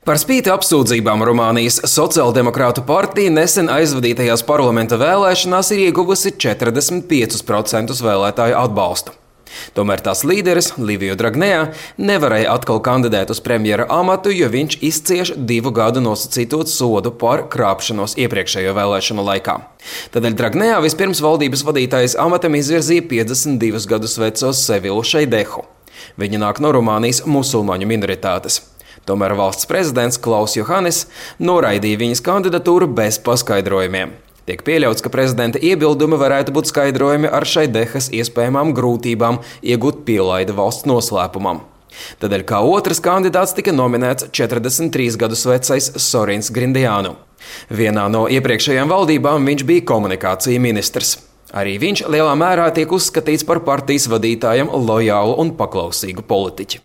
Par spīti apsūdzībām Rumānijas Sociāldemokrātu partija nesen aizvadītajās parlamenta vēlēšanās ir ieguvusi 45% vēlētāju atbalstu. Tomēr tās līderis, Liviju Dragnea, nevarēja atkal kandidēt uz premjera amatu, jo viņš izcieš 2 gadu nosacīto sodu par krāpšanos iepriekšējo vēlēšanu laikā. Tādēļ Dragnea vispirms valdības vadītājas amatam izvirzīja 52 gadus veco Sevilu Šeidehu. Viņa nāk no Rumānijas musulmaņu minoritātes. Tomēr valsts prezidents Klaus Johannis noraidīja viņas kandidatūru bez paskaidrojumiem. Tiek pieļauts, ka prezidenta iebildumi varētu būt skaidrojumi ar Šeidehas iespējamām grūtībām iegūt pielaidi valsts noslēpumam. Tādēļ kā otrs kandidāts tika nominēts 43 gadus vecais Sorins Grindiānu. Vienā no iepriekšējām valdībām viņš bija komunikācija ministrs. Arī viņš lielā mērā tiek uzskatīts par partijas vadītājam lojālu un paklausīgu politiķi.